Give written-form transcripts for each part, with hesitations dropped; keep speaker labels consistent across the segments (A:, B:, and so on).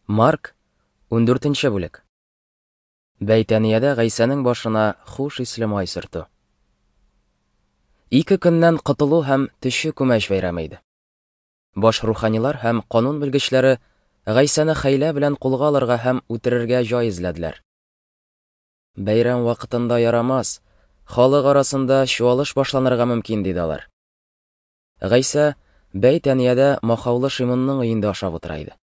A: Марк, 14 бүлек. Бәйтәниядә Гайсәнең башына хуш исле май сөртү. Ике көннән котылу һәм төче күмәч бәйрәме иде. Баш руханилар һәм канун белгечләре Гайсәне хәйлә белән кулга алырга һәм үтерергә җай эзләделәр. Бәйрәм вакытында ярамас, халык арасында чуалыш башланырга мөмкин, диде алар. Гайсә Бәйтәниядә махаулы Шимунның өендә ашап утыра иде.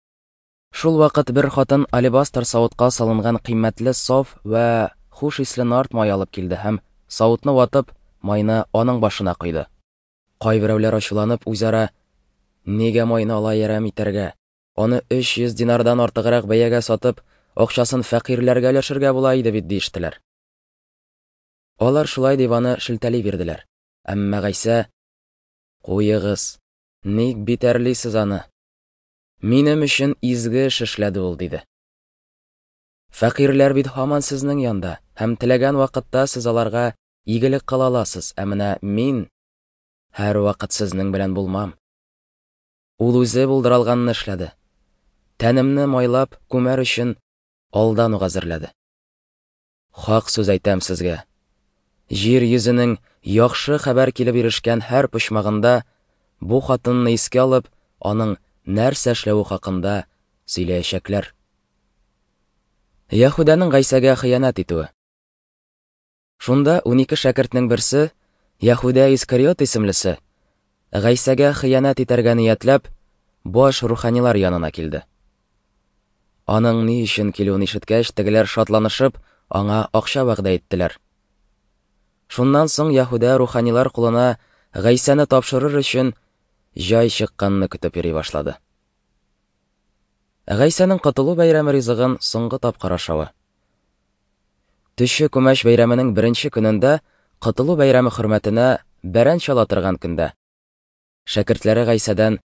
A: Шул вакыт бер хатын алебастр савытка салынган кыйммәтле саф вә хуш исле нард мае алып килде һәм, савытны ватып, майны аның башына койды. Кайберәүләр ачуланып, үзара, Нигә майны алай әрәм итәргә? Аны 300 динардан артыграк бәягә сатып, акчасын фәкыйрьләргә өләшергә була иде бит, диештеләр. Алар шулай дип аны шелтәли бирделәр. Әмма Гайсә, Куегыз, ник битәрлисез аны? Минем өчен изге эш эшләде ул, диде. Фәкыйрьләр бит һаман сезнең янда, һәм теләгән вакытта сез аларга игелек кыла аласыз, ә менә мин һәрвакыт сезнең белән булмам. Ул үзе булдыра алганны эшләде. Тәнемне майлап, күмәр өчен алдан ук әзерләде. Хак сүз әйтәм сезгә, җир йөзенең яхшы хәбәр килеп ирешкән һәр почмагында бу хатынны искә алып, аның нәрсә эшләве хакында сөйләячәкләр. Яһүдәнең Гайсәгә хыянәт итүе. Шунда 12 шәкертнең берсе, Яһүдә Искариот исемлесе, Гайсәгә хыянәт итәргә ниятләп, баш руханилар янына килде. Аның ни өчен килүен ишеткәч, тегеләр шатланышып, аңа акча вәгъдә иттеләр. Шуннан соң Яһүдә руханилар кулына Гайсәне тапшырыр өчен җай чыкканны көтеп йөри башлады. Гайсәнең котылу бәйрәме ризыгын соңгы тапкыр ашавы. Төче күмәч бәйрәменең беренче көнендә, котылу бәйрәме хөрмәтенә бәрән чала торган көндә, шәкертләре Гайсәдән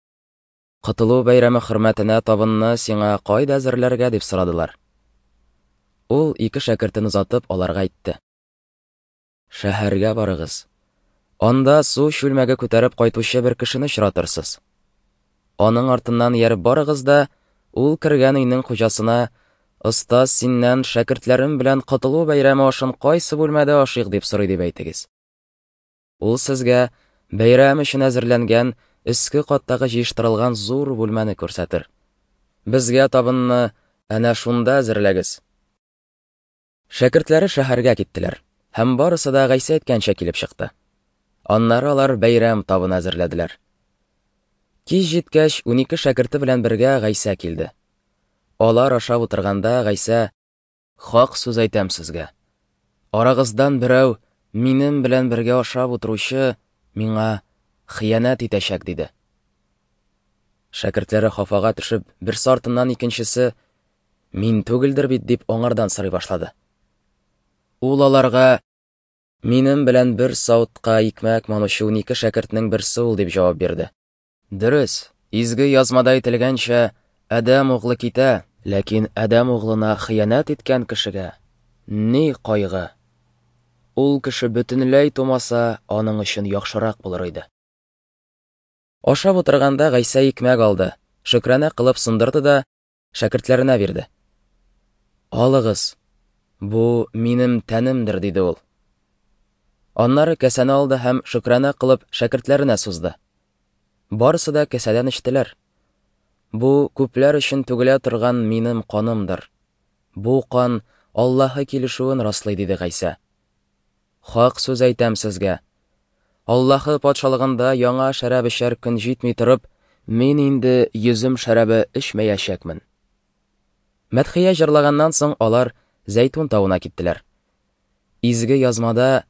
A: Котылу бәйрәме хөрмәтенә табынны сиңа кайда әзерләргә дип сорадылар. Ул ике шәкертен озатып аларга әйтте. Шәһәргә барыгыз. Анда су чүлмәге күтәреп кайтучы бер кешене очратырсыз. Аның артыннан ияреп барыгыз да, ул кергән өйнең хуҗасына, Остаз синнән шәкертләрем белән котылу бәйрәме ашын кайсы бүлмәдә ашыйк дип сорый дип әйтегез. Ул сезгә бәйрәм өчен әзерләнгән өске каттагы җыештырылган зур бүлмәне күрсәтер. Безгә табынны әнә шунда әзерләгез. Шәкертләре шәһәргә киттеләр, һәм барысы да Гайсә әйткәнчә килеп чыкты. Аннары алар бәйрәм табыны әзерләделәр. Кич җиткәч, 12 шәкерте белән бергә Гайсә килде. Алар ашап утырганда Гайсә Хак сүз әйтәм сезгә. Арагыздан берәү, минем белән бергә ашап утыручы, миңа хыянәт итәчәк, диде. Шәкертләре хафага төшеп, берсе артыннан икенчесе, Мин түгелдер бит, дип аңардан сорый башлады. Ул аларга, Минем белән бер савытка икмәк манучы 12 шәкертнең берсе ул, дип җавап бирде. Дөрес, Изге Язмада әйтелгәнчә, Адәм углы китә, ләкин Адәм углына хыянәт иткән кешегә ни кайгы! Ул кеше бөтенләй тумаса, аның өчен яхшырак булыр иде. Ашап утырганда Гайсә икмәк алды, шөкрана кылып сындырды да шәкертләренә бирде. Алыгыз, бу минем тәнемдер, диде ул. Аннары кәсәне алды һәм шөкрана кылып шәкертләренә сузды. Барысы да кәсәдән эчтеләр. Бу күпләр өчен түгелә торган минем канымдыр. Бу кан Аллаһы килешүен раслый, диде Гайсә. Хак сүз әйтәм сезгә. Аллаһы патшалыгында яңа шәраб эчәр көн җитми торып, мин инде йөзем шәрабе эчмәячәкмен. Мәдхия җырлаганнан соң алар Зәйтүн тавына киттеләр. Изге язмада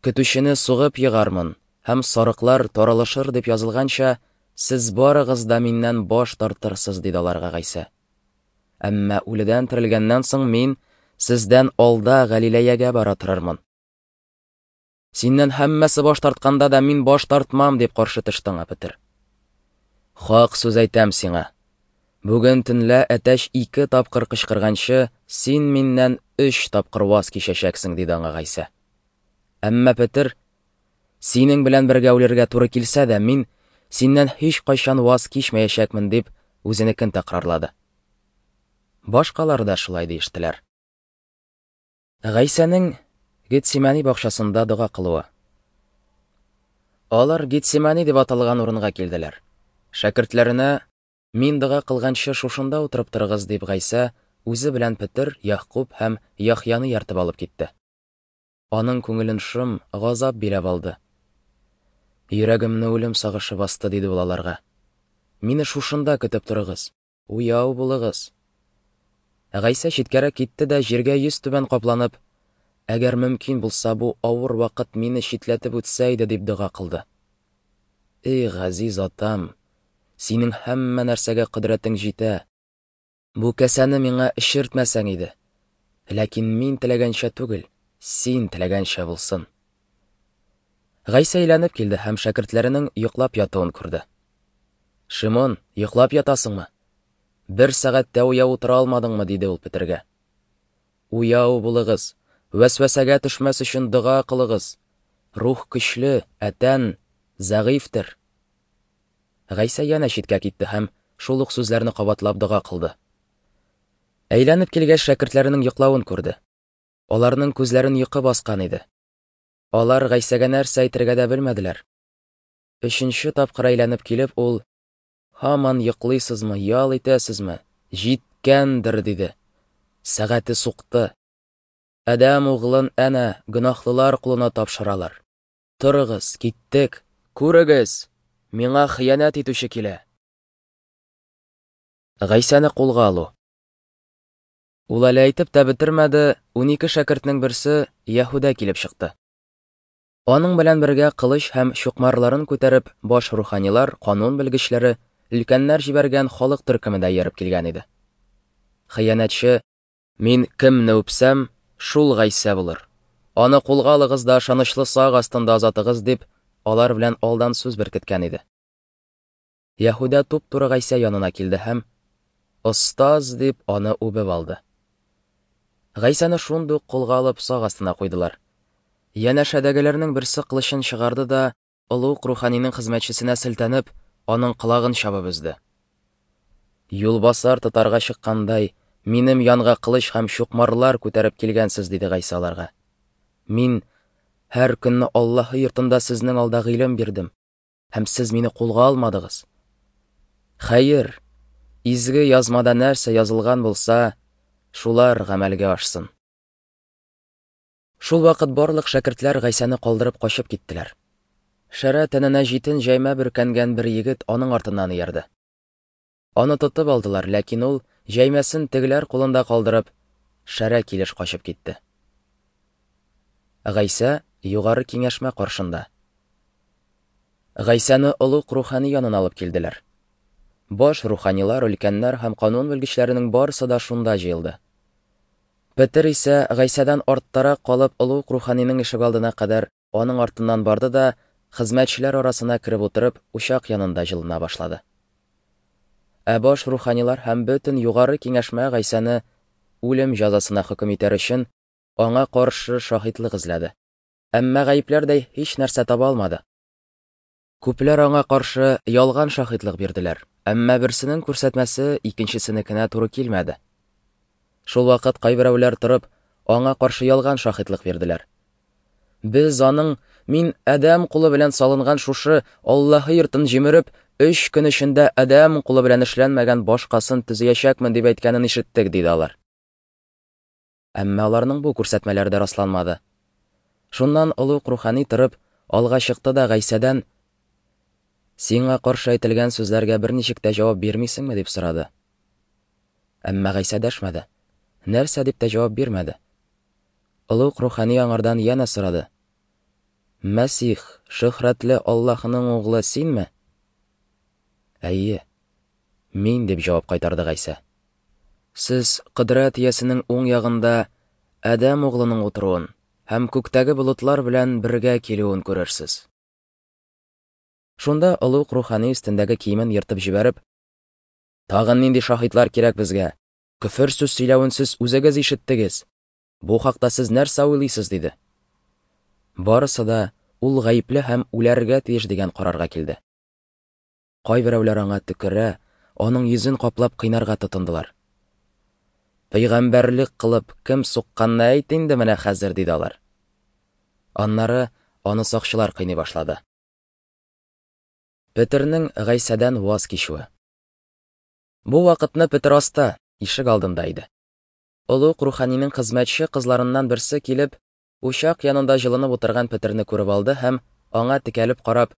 A: Көтүчене сугып егармын, һәм сарыклар таралышыр дип язылганча, сез барыгыз да миннән баш тартырсыз, диде аларга Гайсә. Әмма үледән терелгәннән соң мин сездән алда Галиләягә бара торырмын. Синнән һәммәсе баш тартканда да мин баш тартмам, дип каршы төште аңа Петер. Хак сүз әйтәм сиңа. Бүген төнлә әтәч ике тапкыр кычкырганчы, син миннән өч тапкыр ваз кичәчәксең, диде аңа Гайсә. Әмма Петер, синең белән бергә үлергә туры килсә дә, мин синнән һичкайчан ваз кичмәячәкмен, дип үзенекен тәкрарлады. Башкалар да шулай диештеләр. Гайсәнең Гетсимәни бакчасында дога кылуы. Алар Гетсимәни дип аталган урынга килделәр. Шәкертләренә, Мин дога кылганчы шушында утырып торыгыз, дип Гайсә үзе белән Петер, Ягъкуб һәм Яхъяны ияртеп алып китте. Аның күңелен шом, газап биләп алды. Йөрәгемне үлем сагышы басты, диде ул аларга. Мине шушында көтеп торыгыз. Уяу булыгыз. Гайсә читкәрәк китте дә җиргә йөзтүбән капланып, Әгәр мөмкин булса, бу авыр вакыт мине читләтеп үтсә иде, дип дога кылды. Эй, газиз Атам, синең һәммә нәрсәгә кодрәтең җитә. Бу касәне миңа эчертмәсәң иде. Ләкин мин теләгәнчә түгел, син теләгәнчә булсын. Гайсә әйләнеп килде һәм шәкертләренең йоклап ятуын күрде. Шимон, йоклап ятасыңмы? Бер сәгать тә уяу утыра алмадыңмы? диде ул Петергә. Уяу булыгыз, вәсвәсәгә төшмәс өчен дога кылыгыз. Рух көчле, ә тән зәгыйфьтер. Гайсә янә читкә китте һәм шул ук сүзләрне кабатлап дога кылды. Әйләнеп килгәч, шәкертләренең йоклавын күрде. Аларның күзләрен йокы баскан иде. Алар Гайсәгә нәрсә әйтергә дә белмәделәр. Өченче тапкыр әйләнеп килеп, ул, Һаман йоклыйсызмы, ял итәсезме? Җиткәндер, диде. Сәгате сукты. Адәм углын әнә гөнаһлылар кулына тапшыралар. Торыгыз, киттек. Күрегез, миңа хыянәт итүче килә. Гайсәне кулга алу. Ул әле әйтеп тә бетермәде, 12 шәкертнең берсе Яһүдә килеп чыкты. Аның белән бергә кылыч һәм чукмарларын күтәреп, баш руханилар, канун белгечләре, өлкәннәр җибәргән халык төркеме дә ияреп килгән иде. Хыянәтче, Мин кемне үпсәм, шул Гайсә булыр. Аны кулга алыгыз да ышанычлы сак астында озатыгыз, дип, алар белән алдан сүз беркеткән иде. Яһүдә туп-туры Гайсә янына килде һәм, Остаз, дип, аны үбеп алды. Гайсәне шундук кулга алып сак астына куйдылар. Янәшәдәгеләрнең берсе кылычын чыгарды да, олуг руханинең хезмәтчесенә селтәнеп, аның колагын чабып өзде. Юлбасар тотарга чыккандай, минем янга кылыч һәм чукмарлар күтәреп килгәнсез, диде Гайсә аларга. Мин һәр көнне Аллаһы йортында сезнең алда гыйлем бирдем, һәм сез мине кулга алмадыгыз. Хәер, изге язмада нәрсә язылган булса, шулар гамәлгә ашсын. Шул вакыт барлык шәкертләр Гайсәне калдырып качып киттеләр. Шәрә тәненә җитен җәймә бөркәнгән бер егет аның артыннан иярде. Аны тотып алдылар, ләкин ул, җәймәсен тегеләр кулында калдырып, шәрә килеш качып китте. Гайсә югары киңәшмә каршында. Гайсәне олуг рухани янына алып килделәр. Баш руханилар, өлкәннәр һәм канун белгечләренең барысы да шунда җыелды. Петер исә Гайсәдән арттарак калып, олуг руханиның ишегалдына кадәр аның артыннан барды да, хезмәтчеләр арасына кереп утырып, учак янында җылына башлады. Ә баш руханилар һәм бөтен югары киңәшмә Гайсәне үлем җәзасына хөкем итәр өчен аңа каршы шаһитлык эзләде. Әмма гаепләрдәй һич нәрсә таба алмады. Күпләр аңа каршы ялган шаһитлык бирделәр, әмма берсенең күрсәтмәсе икенчесенекенә туры килмәде. Шул вакыт кайберәүләр торып, аңа каршы ялган шаһитлык бирделәр. Без аның мин адәм кулы белән салынган шушы Аллаһы йортын җимереп, өч көн эчендә адәм кулы белән эшләнмәгән башкасын төзиячәкмен дип әйткәнен ишеттек, диде алар. Әмма аларның бу күрсәтмәләре дә расланмады. Шуннан олуг рухани торып, алга чыкты да Гайсәдән, Сиңа каршы әйтелгән сүзләргә берничек тә җавап бирмисеңме, дип сорады. Әмма Гайсә дәшмәде. Нәрсә дип тә җавап бирмәде. Олуг рухани аңардан янә сорады. Мәсих, шөһрәтле Аллаһының углы синме? Әйе, мин, дип җавап кайтарды Гайсә. Сез кодрәт иясенең уң ягында Адәм углының утыруын һәм күктәге болытлар белән бергә килүен күрерсез. Шунда олуг рухани өстендәге киемен ертып җибәреп, Тагын нинди шаһитлар кирәк безгә? Көфер сүз сөйләвен сез үзегез ишеттегез. Бу хакта сез нәрсә уйлыйсыз? диде. Барысы да ул гаепле һәм үләргә тиеш дигән карарга килде. Кайберәүләр аңа төкерә, аның йөзен каплап кыйнарга тотындылар. Пәйгамбәрлек кылып, кем сукканны әйт инде менә хәзер, диде алар. Аннары аны сакчылар кыйный башлады. Петернең Гайсәдән ваз кичүе. Бу вакытны Петер аста, ишек алдында иде. Олуг руханинең хезмәтче кызларыннан берсе килеп, учак янында җылынып утырган Петерне күреп алды һәм аңа текәлеп карап,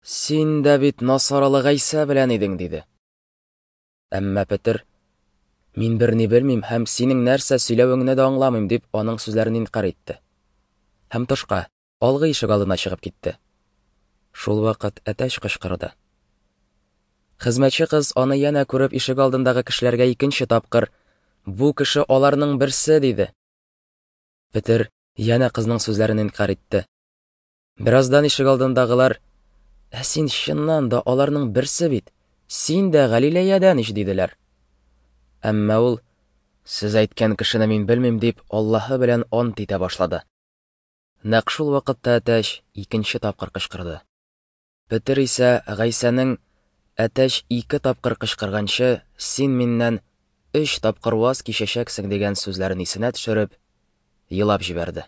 A: Син дә бит Насаралы Гайсә белән идең, диде. Әмма Петер, Мин берни белмим һәм синең нәрсә сөйләвеңне дә аңламыйм, дип аның сүзләрен инкарь итте. Һәм тышка, алгы ишек алдына чыгып китте. Шул вакыт әтәч кычкырды. Хезмәтче кыз аны янә күреп ишек алдындагы кешеләргә икенче тапкыр, Бу кеше аларның берсе, диде. Петер янә кызның сүзләрен инкарь итте. Бераздан ишек алдындагылар, Ә син чыннан да аларның берсе бит, син дә Галилеядән ич, диделәр. Әмма ул, Сез әйткән кешене мин белмим, дип, Аллаһы белән ант итә башлады. Нәкъ шул вакытта әтәч икенче тапкыр кычкырды. Петер исә Гайсәнең, Әтәч ике тапкыр кычкырганчы, син миннән өч тапкыр ваз кичәчәксең, дигән сүзләрен исенә төшереп, елап җибәрде.